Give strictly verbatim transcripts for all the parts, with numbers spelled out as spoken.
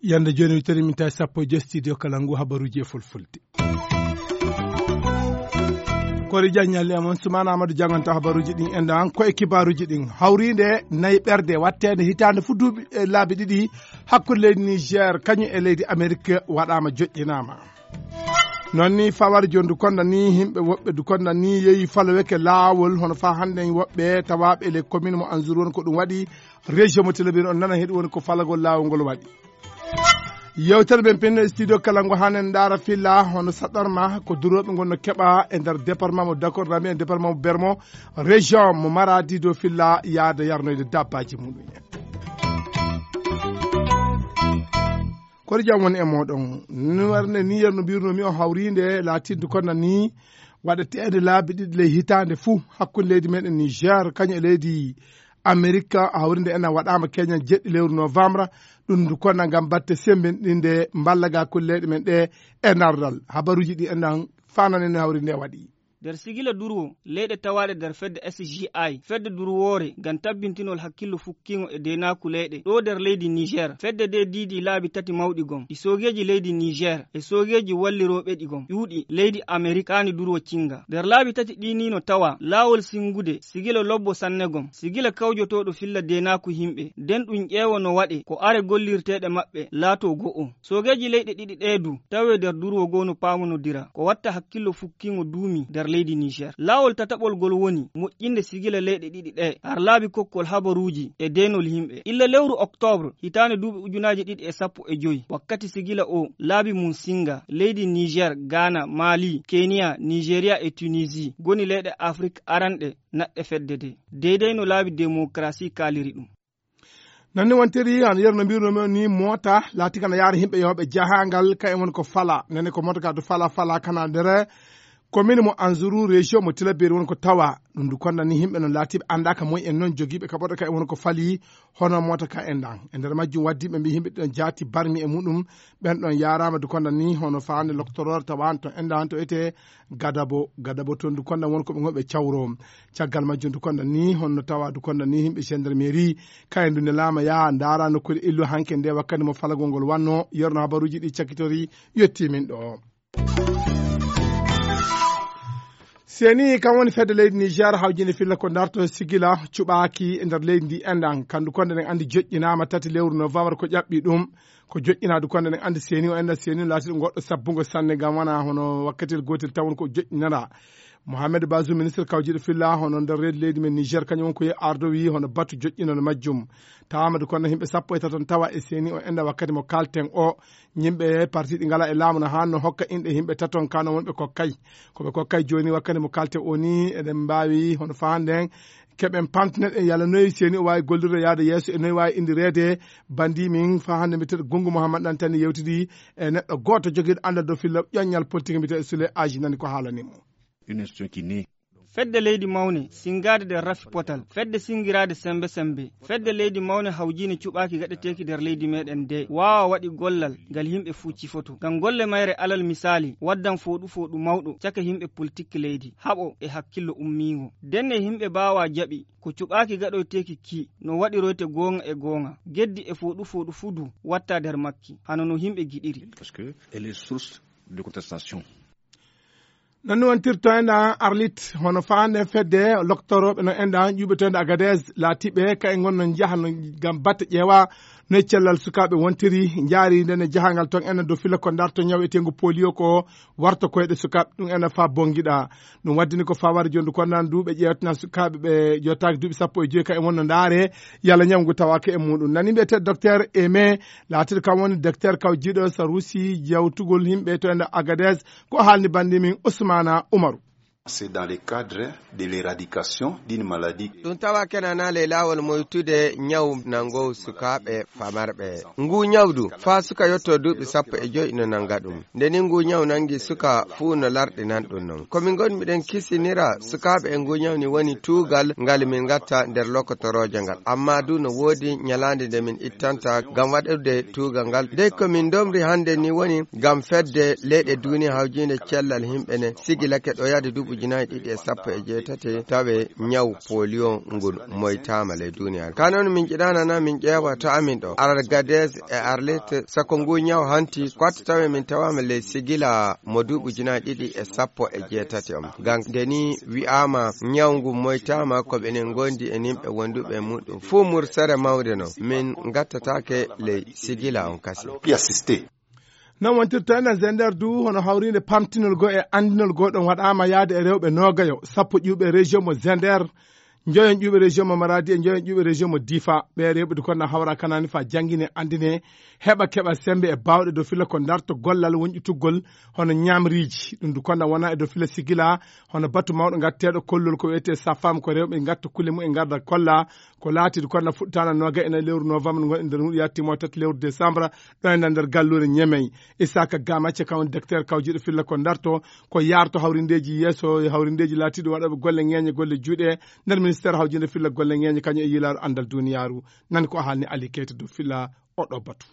Yande jooni, wi tari min tawi sappo e joy studio kala ngu habaruuji e fulfulde. Kori Diagne ñalli e mon, Soumana Amadou janganta habaruuji ɗin, en ɗan ko e kibaaruuji ɗin. Hawriinde nayi ɓerde watteende hitaande fu duuɓi e laabi ɗiɗi hakkunde leydi Niger kañum e leydi Amerique waɗaama, joƴƴinaama. Noon ni fawar jooni du konda ni himɓe woɓɓe du konda ni yehi faloweke laawol, hono fa hannde woɓɓe tawaaɓe e le commune mo Anzour woni ko ɗum waɗi. Région mo Tilaberi on nana heɗi woni ko falagol laawol ngol waɗi. Yewtere men pinno e studio kala ngo hanen ndaara filla hono saɗarma ko durooɓe ngon no keɓa e nder département mo Dakar, nami e département mo Bermo, région mo Maradi do filla yaada yarnoyde dabbaji muɗum en. Koɗo jam woni e moɗon. Ni warde ni yerno mbirnomi o hawrinde laatinde kono ni waɗeteende laabi ɗiɗi ley hitaande fuu hakkunde leydi meɗen Niger kañum e leydi Amerika, hawrinde ena waɗaama keñal jeɗɗi lewru novembre. Ɗum ndu konna ngam batte semmbinɗinde mballaga kulle leyɗe men ɗe e nardal. Habaruuji ɗi enen fananene hawrinde waɗi. Nder sigila durwo, leyɗe tawaaɗe nder fedde S G I, fedde durwoore ngam tabbintinol hakkillo fukkiingo e deenaaku leyɗe ɗo nder leydi Niger, fedde de diidi laabi tati mawɗi gom, ɗi soogeeji leydi Niger e soogeeji wallirooɓe ɗi gom, ƴuuɗi leydi Amerik kaani durwo cinga. Nder laabi tati ɗi ni no tawa laawol singude sigila lobbo sanne gom, sigila kawjotooɗo filla deenaaku himɓe, nden ɗum ƴeewo no waɗe ko are gollirteeɗe maɓɓe laato go'o. Soogeeji leyɗe ɗiɗi ɗee du tawe nder durwo goo no paamonodira ko watta hakkillo fukkiingo duumi nder leydi Niger. Laawol tataɓol ngol woni moƴƴinde sigila leyɗe ɗiɗi ɗee har laabi kokkol habaruuji e deenol yimɓe. Illa lewru oktoobre hitaande duuɓi ujunaaji ɗiɗi e sappo e joy, wakkati sigila o laabi mum singa, leydi Niger, Ghana, Mali, Kenya, Nigeria e Tunisie ngoni leyɗe Afrik aranɗe naɗɗe fedde de, deydey no laabi demokarasi kaaliri ɗum. Nanni wontiri an yerno mbirno men ni moota laati kana yaara himɓe yewɓe jahangal ka e won ko fala nene ko moota ka du fala fala kana nder commune mo Anzuru région mo Tilaberi won ko tawa ɗum du konda ni himɓe non laatiɓe andaka moy en non jogiiɓe ka ɓoɗo ka e won ko fali. Hono moota ka en ɗan e nder majjum waddi ɓe mbi himɓe ɗon jaati barmi e muɗum. Ɓen ɗon yaarama du konda ni hono faande loktoror tawanto en ɗan to ete gadabo gadabo ton du konda won ko ɓe gonɓe cawro. Caggal majjum du konda ni honno tawa du konda ni himɓe gendarmerie kayen du nelama yaha ndaara nokkude illu hanke nde wakkati mo falagol ngol wanno. Yerno habaruji ɗi cakkitori yetti min ɗo. Seni kam woni fedde leydi Niger hawjini filla ko darto sigila cuɓaki e nder leydi ndi enɗan kandu konde ɗen andi joƴƴinama tati lewru novembre ko ƴaɓɓi ɗum. Ko joƴƴinadu konde ɗen andi seni o enɗan seni o laatiɗo goɗɗo sabbungo sanne ngam wana hono wakkatil gotel tawon ko joƴƴinana. Mohamed Bazoum ministre kawjiɗo filla hono nder reedi leydi men Niger kañum won ko yehi ardo wi hono batu joƴƴinano majjum. Tawama du konde himɓe sappo e taton tawa e seni o enɗan wakkati mo kalten o. Yimɓe parti ɗi ngala e laamu no hanno hokka inɗe yimɓe taton kano wonɓe kokkay. Ko ɓe kokkay joni wakkati mo kalte o ni eɗen mbawi hono fahande en keɓen pamtinen en yalla noyi seni o wawi gollirde yaade yeeso e noyi wawi indirede. Bandi min fa hande mbiteɗo Gungu Mouhammad ɗan tani yewtidi e neɗɗo goto joguiɗo andal dow filla ƴoññal politique mbiteɗo Sule Aji nani ko haalanimo. Une institution qui naît. Fedde leydi mawne singaade nder rafi potal, fedde singiraade sembe sembe, fedde leydi mawne hawjiine cuɓaaki gaɗeteeki nder leydi meɗen de waawa waɗi gollal ngal yimɓe fuu cifoto ngam golle mayre alal misaali waddan fooɗu fooɗu mawɗo caka yimɓe politik leydi, haɓo e hakkillo ummiingo. Denne yimɓe baawaa jaɓi ko cuɓaaki gaɗoyteeki ki no waɗiroyte goonga e goonga, geddi e fooɗu fooɗu fuu du watta nder makki hano no yimɓe giɗiri. Parce que elle est source de contestation. Noon ni wontirto en ɗan Arlit hono faande fedde loktorooɓe no en ɗan ƴuɓeteende Agadez laatiɓe ka e ngon no njaha no ngam batte ƴeewa no e cellal sukaaɓe wontiri. Njaari nden e jahangal ton en dow fila ko darto ñaw eteengu polio ko warta koyɗe sukaaɓe ɗum en fa bongiɗa. Ɗum waddini ko fawari jondu ko nan duuɓe ƴeewtina sukaaɓe ɓe jottaaki duuɓi sappo e joyi ka e wonno ndaare yalla ñaw ngu tawaaka e muɗum. Nani mbiyete docteur Aimé laatiɗo kam woni docteur kawjiɗo sarusi jawtugol yimɓe to en Agadez. Ko haalni bandi min Ousmana Umaru. C'est dans le cadre de l'éradication d'une maladie. Ɗum tawa kenana ley laawol moytude ñaw nanngoowu sukaaɓe famarɓe. Nguu ñaw du, faa suka yotto duuɓi sappo e joy no nannga ɗum. Nde ni nguu ñaw nanngi suka fuu no larɗinan ɗum non. Ko min ngon miɗen kisinira sukaaɓe e nguu ñaw ni woni tuugal ngal min ngatta nder lokotorooje ngal. Amma du no woodi ñalaande nde min ittanta ngam waɗude tuugal ngal. Dey ko min ndomri hannde ni woni ngam fedde leyɗe duuniya hawjiinde cellal yimɓe ne sigilake ɗo yahde duuɓi ujunaaji ɗiɗi e sappo e jeetati tawe ñaw polio ngun moytaama ley duuniya. Ka non min jiɗaana na min ƴeewa to amin ɗo. Agadez e Arlit sako ngu ñaw hanti kwatta tawe min tawaama ley sigila mo duuɓi ujunaaji ɗiɗi e sappo e jeetati on. Ngam nde ni wi'aama ñaw ngu moytaama ko ɓenen ngondi e nimɓe wonduɓe e muɗum. Fuu mursere mawde no min ngattataake ley sigila on kasi. Pi assisté. Non wontirta enen Zender du hono hawriinde pamtinol goo e anndinol goo ɗon waɗaama yaade e rewɓe noogayo, sappo ƴuuɓe région mo Zender, njoyon ƴuuɓe région mo Maradi e njoyon ƴuuɓe région mo Difa. Ɓe rewɓe du konna hawra kanani fa janngine anndine, heɓa keɓa sembe e baawɗe dow fila ko darto gollal wonƴutuggol hono ñamriiji. Ɗum du konna wona e dow fila sigila hono batu mawɗo ngatteeɗo kollol ko wiyetee safam ko rewɓe ngatta kulle mum e ngarda kolla ko laatiiɗo konna fuɗɗitaana nooga ena lewru novembre ngon e nder huɗo yattiimo tati lewru décembre ɗo e nder galluure Ñemey. Isaka Gamacce kam woni docteur kawjiiɗo filla ko darto ko yaarto hawrindeeji yeeso e hawrindeeji laatiiɗo waɗooɓe golle ŋeeñe golle juuɗe nder ministère hawjiinde filla golle ŋeeñe kañum e yilaaru anndal duniyaaru. Nan ko haalni Ali Keita dow filla oɗo batu.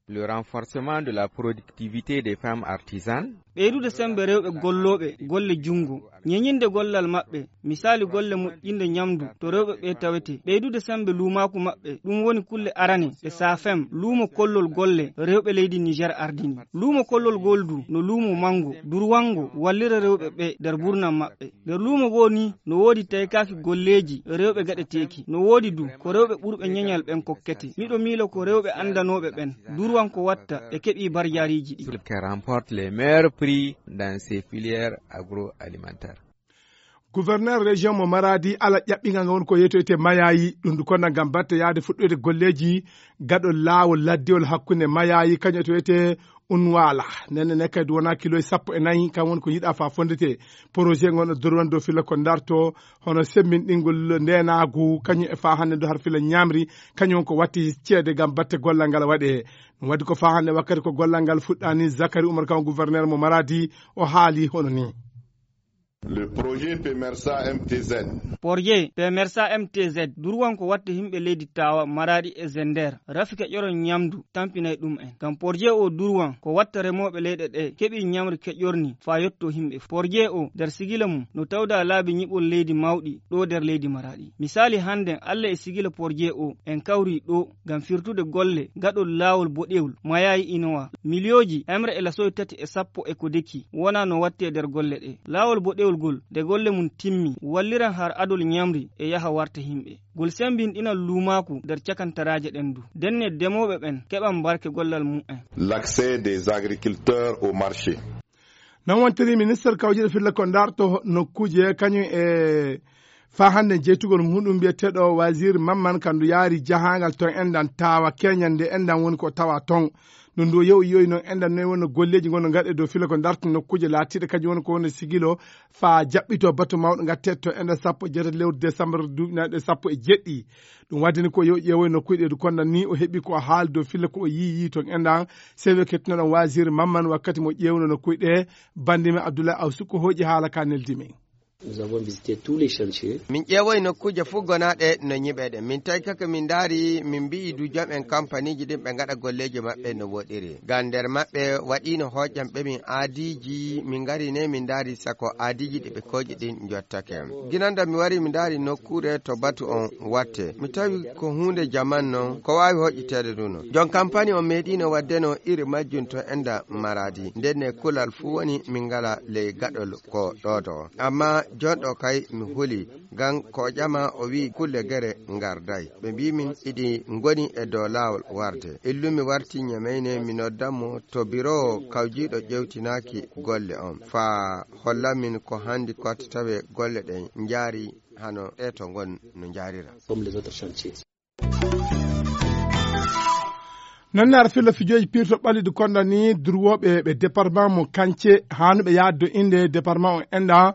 Le renforcement de la productivité des femmes artisanes. Ɓeydude sembe rewɓe gollooɓe golle junngo, ñeñinde gollal maɓɓe, misali golle moƴƴinde ñamdu to rewɓe ɓe tawete. Ɓeydude sembe luumaaku maɓɓe, ɗum woni kulle arane ɗe safem luumo kollol golle rewɓe leydi Niger ardini. Luumo kollol gol du no luumo manngo, durwango, wallira rewɓe ɓe nder burnam maɓɓe. Nder luumo goo ni no woodi taykaaki golleeji rewɓe gaɗeteeki. No woodi du ko rewɓe ɓurɓe ñeñal ɓen kokkete. Miɗo miilo ko rewɓe anndanooɓe ɓen durwan ko watta ɓe keɓii barjaariiji ɗi. Qui remporte les meilleurs prix dans ces filières agroalimentaires. Gouverneur région mo Maradi ala ƴaɓɓingal ngal woni ko yetoyte mayayi ɗum du konna ngam batte yaade fuɗɗoyde golleeji gaɗo laawol laddiwol hakkunde mayayi kañum to wiyetee Unwala. Nenne ne kadi wona kilo e sappo e nayi kam woni ko yiɗa fa fondete. Projet ngon no dorwan dow fila ko darto hono semmbinɗingol ndenaagu kañum e fa hannde do har fila ñamri kañum ko watti ceede ngam batte gollal ngal waɗe. Ɗum waɗi ko fa hannde wakkati ko gollal ngal fuɗɗani Zakari Umar kam gouverneur mo Maradi o haali hono ni. Le projet Pemersa M T Z. Projet Pemersa M T Z durwan ko watte yimɓe leydi Tawa, Maradi e Zender. Rafi keƴoron ñamdu tampinay ɗum en. Ngam projet o durwan ko watta remooɓe leyɗe ɗe keɓi ñamri keƴorni fa yotto yimɓe. Projet o nder sigila mum no tawda laabi ñiɓol leydi mawɗi ɗo nder leydi Maradi. Misali hannden Allah e sigila projet o en kawri ɗo ngam firtude golle gaɗol laawol boɗewol mayayi inowa. Miliyooji emre e lasoy tati e sappo e ko deki wona no watte nder golle ɗe. Laawol boɗewol gol nde golle mum timmi walliran har adol ñamri e yaha warta yimɓe. Gol sembinɗinan luumaaku nder cakantaraaje ɗen du. Denne demooɓe ɓen keɓan barke gollal mum en. L'accès des agriculteurs au marché. Non wontiri ministre kawjiɗo filla ko darto nokkuuje kañum e fa hannde jeytugol muɗum mbiyeteeɗo wasir mamman kandu yaari jahangal ton enɗan tawa keñande enɗan woni ko tawa ton. Ɗum ɗo yew yoyi noon enɗan noyi wonno golleeji ngonno ngaɗe dow fila ko darto nokkuuje laatiiɗe kañum woni ko wonno sigilo fa jaɓɓito batu mawɗo ngatteeɗo to enɗan sappo e jeetati lewru décembre duuɓi nayi ɗe sappo e jeɗɗi. Ɗum waddini ko yew ƴeewoy nokkuuje ɗe du kondan ni o heɓi ko o haali dow filla ko o yii yii ton enɗan sewe kettinoɗon wasir mamman wakkati mo ƴeewno nokkuuje ɗe. Bandimi Abdoulaye Awsu ko hooƴi haala ka neldi min. Nous avons visité tous les chantiers. Min ƴeewoyi nokkuuje fof gonaaɗe no ñiɓeɗe. Min tawi kaka min ndaari, min mbi'i du jom en kampaniji ɗin ɓe ngaɗa golleeji maɓɓe no woɗiri. Ngam nder maɓɓe waɗino hooƴam ɓe min aadiiji, min ngari ne min ndaari sako aadiiji ɗi ɓe kooƴi ɗin jottake. Ginanda mi wari mi ndaari nokkuure to batu on watte. Mi tawi ko huunde jaman non, ko waawi hoƴƴiteede du non. Jon kampani on meeɗiino waɗde no iri majjum to enda Maradi. Nden ne kulal fuu woni min ngala ley gaɗol ko ɗooto. Amma jon ɗo kay mi huli, ngam ko o ƴama o wi'i kulle gere ngarday. Ɓe mbii min iɗi ngoni e dow laawol warde. Illumi warti ñemeyne mi noddan mo to biro kawjiiɗo ƴewtinaaki golle on. Faa hollan min ko handi kotte tawe golle ɗen njaari hano ɗe to ngon no njaarira. Comme les autres chantiers. Noon ne ara filla fijooji pirto ɓalliɗi konda ni durwooɓe ɓe département mo Kance haanuɓe yaaddo innde département o enɗa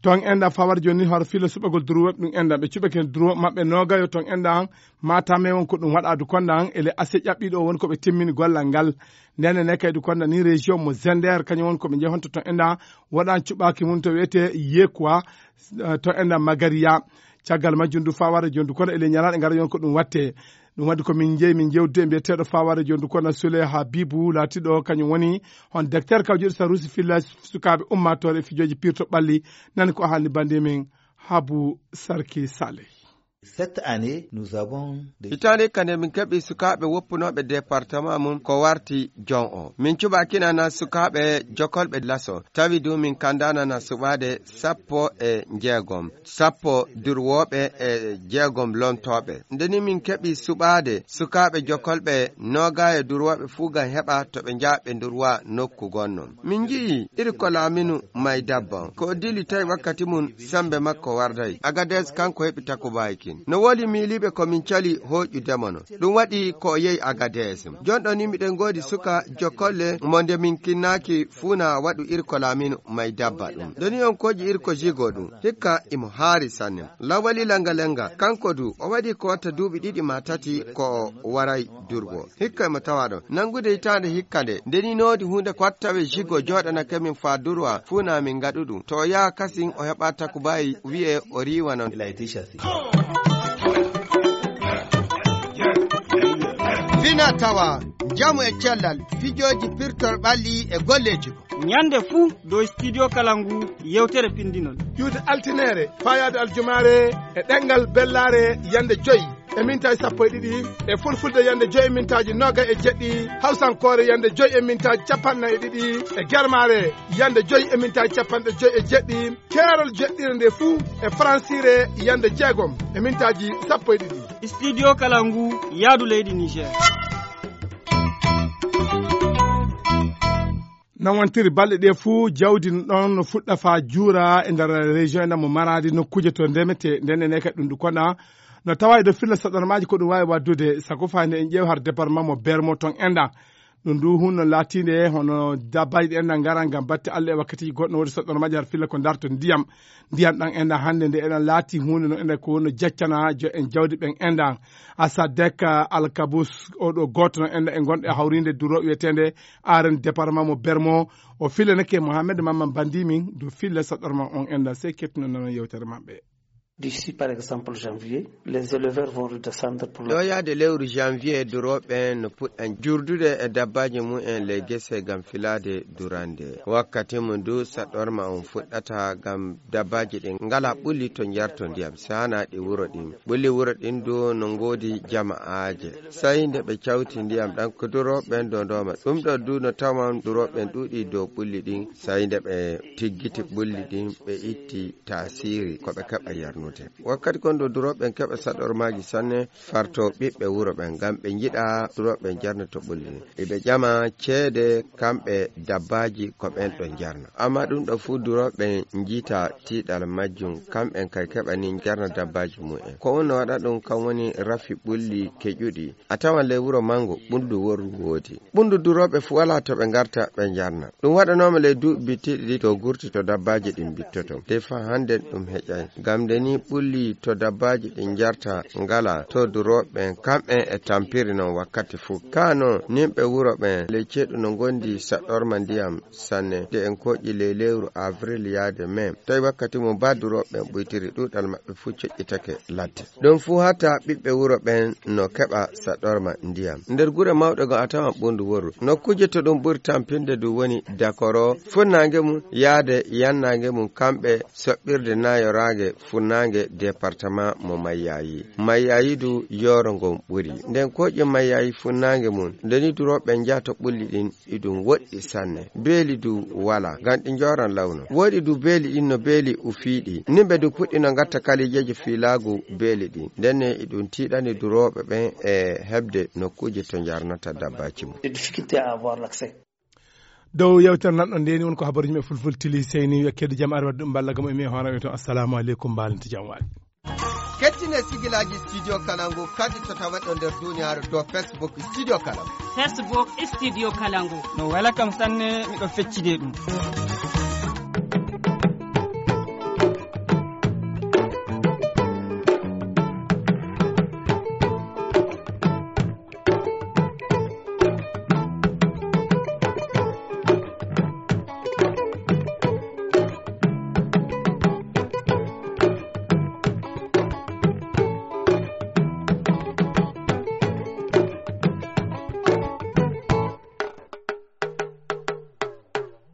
Ton enɗan fawar jooni ni, hoto filla suɓagol durwooɓe ɗum enɗan. Ɓe cuɓake durwooɓe maɓɓe noogayo ton enɗan. Matam e won ko ɗum waɗa du konɗan, ele ase ƴaɓɓiɗo won ko ɓe timmini gollal ngal. Ndene ne kay du konɗan ni région mo Zender, kañum won ko ɓe jehonto ton enɗan. Waɗan cuɓaki mum to wiyete Yekuwa, eh, ton enɗan Magariya. Caggal majjum du fawar jooni du kono ele ñalaɗe ngara yon ko ɗum watte. Ɗum waɗi ko min jeyi, min jewtude e mbiyeteeɗo fawar jooni du kono Sule Habibu laatiɗo kañum woni on docteur kawjuɗo sarusi filla sukaaɓe ummaatoore e fijooji pirto ɓalli. Nani ko haalni bande min Habu Sarki Saleh. Cette année, nous avons des Hitaande kande min keɓi sukaaɓe woppunooɓe département mum ko warti jon o. Min cuɓakinana sukaaɓe jokolɓe laso. Tawi du min kandanana suɓaade sappo e jeegom. Sappo durwooɓe e jeegom lontooɓe. Nde ni min keɓi suɓaade sukaaɓe jokolɓe nooga e durwooɓe fuu ngam heɓa to ɓe njaha ɓe ndurwa nokku gonno. Min nji'i iri ko laaminu may dabba. Ko o dili tawi wakkati mum sembe makko warday. Agades kanko heɓi takubaay kin. No woodi miiliiɓe ko min cali hooƴu demono. Ɗum waɗi ko o yehi Agades. Jonɗo ni miɗen ngoodi suka jokolle mo nde min kinnaaki fuu na waɗu iri ko laaminu may dabba ɗum. Nde ni on kooƴi iri ko jigo ɗum. Hikka imo haari sanne. Lawali langa langa. Kanko du, o waɗi ko watta duuɓi ɗiɗi ma tati ko o waray durgo. Hikka emo tawa ɗon. Nanngude hitaande hikka nde, nde ni noodi huunde ko watta tawe jigo jooɗanake min faa durwa, fuu na min ngaɗu ɗum. To o yaha kasin, o heɓa takubayi, wi'e o riiwa non. Il a été chassé. Fina tawa, njamu e cellal, fijooji pirtol ɓalli e golleeji. Ñande fuu dow Studio Kalangu yewtere pinndinol. Ƴuwde altineere, faayaade aljumaare e ɗemngal bellaare yande joy e mintaaji sappo e ɗiɗi, e fulfulde yande joy e mintaaji noogay e jeɗɗi, hawsankoore yande joy e mintaaji capanɗe nayi e ɗiɗi, e germaare yande joy e mintaaji capanɗe joy e jeɗɗi, keerol jeɗɗire nde fuu e faransiire yande jeegom e mintaaji sappo e ɗiɗi. Studio Kalangu, yaadu leydi Niger. Nawantiri balɗe ɗe fuu, jawdi no ɗon no fuɗɗa faa juura e nder région ena mo Maradi, nokkuuje to ndemete, nden ene kadi ɗum ndu kono no tawa e dow filla saɗormaaji ko ɗum waawi waɗdude, sago faa nde en ƴeew har département mo Bermo ton enɗa. Ɗum ndu hunno laatiinde hono dabbaaji ɗi enɗa ngara ngam batte Allah e wakkatiiji goɗɗo no woodi saɗormaaji har filla ko darto ndiyam. Ndiyam ɗam enɗa hannde nde eɗen laati huunde no enɗa ko wonno jaccana jo en jawdi ɓen enɗa. Asadek Alkabus, oɗo gooto no enɗa e gonɗo e hawriinde duro wiyeteende Aren département mo Bermo. O filanake Mohamed Mamman Bandimi, du filla saɗorma on enɗa, sey kettuno nano yewtere maɓɓe. D'ici, par exemple, janvier, les éleveurs vont redescendre pour la Ɗo yaade lewru janvier, durooɓe no puɗɗan jurdude e dabbaaji mumen ley gese ngam filaade durande. Wakkati mo ndu saɗorma on fuɗɗata ngam dabbaaji ɗin ngala ɓulli to njarto ndiyam, si hana ɗi wuro ɗin. Ɓulli wuro ɗin du no ngoodi jama'aaje. Sey nde ɓe cawti ndiyam ɗam ko durooɓe ɓen dondoma. Ɗum ɗo du no tawan durooɓe ɓen ɗuuɗi dow ɓulli ɗin. Sey nde ɓe tiggiti ɓulli ɗin, ɓe itti taasiri ko ɓe keɓa yarnude. Wakkati kon ɗo durooɓe ɓen keɓa saɗormaaji sanne, farto ɓiɓɓe wuro ɓen, ngam ɓe njiɗa durooɓe ɓen jarna to ɓulli. Iɓe ƴama ceede kamɓe dabbaaji ko ɓen ɗo jarna. Amma ɗum ɗo fuu durooɓe ɓen njiita tiiɗal majjum, kamɓen kay keɓa ni jarna dabbaaji mumen. Ko wonno waɗa ɗum kam woni rafi ɓulli keƴuɗi. A tawan ley wuro mango ɓulndu worru woodi. Ɓulndu durooɓe fuu walaa to ɓe ngarta ɓe jarna. Ɗum waɗanooma ley duuɓi bittiiɗi ɗi to gurti to dabbaaji ɗin bittoto. Te faa hannden ɗum heƴay. Ngam nde ni ɓulli to dabbaaji ɗin njarta ngala to durooɓe ɓen, kamɓen e tampiri non wakkati fuu. Kaa non, nimɓe wuro ɓen ley ceeɗu no ngondi saɗorma ndiyam sanne. Nde en kooƴi ley lewru avril yaade mai, tawi wakkati mum baa durooɓe ɓen ɓuytiri, ɗuuɗal maɓɓe fuu coƴƴitake ladde. Ɗum fuu hata ɓiɓɓe wuro ɓen no keɓa saɗorma ndiyam. Nder gure mawɗe goo a tawan ɓulndu worru. Nokkuuje to ɗum ɓuri tampinde du woni Dakoro, funnaange mum yaade yannaange mum kamɓe soɓɓirde nayoraange funnaange département mo Mayyayi. Mayyayi du yooro ngon ɓuri. Nden kooƴe Mayyayi funnaange mum, nde ni durooɓe njaha to ɓulli ɗin, iɗum woɗɗi sanne. Beeli du walaa, ngam ɗi njooran lawno. Woodi du beeli ɗin no beeli ufiiɗi. Nimɓe du puɗɗino ngatta kaliijeeji fiilaagu beeli ɗin. Ndenne iɗum tiiɗani durooɓe ɓen e heɓde nokkuuje to njarnata dabbaaji mum. Des difficultés à avoir l'accès. Dow yewtere nanɗo nde ni won ko habaruji men fulfulde tili seyni wiya keddi jam ari wadde ɗum balla gam e mi e hoore o to assalamu aleykum, mbalante jam waali. Kettine sigilaaji Studio Kalangu kadi to taweɗo nder duniyaaru dow Facebook Studio Kalangu. Facebook Studio Kalangu. No wela kam sanne, miɗo feccide ɗum.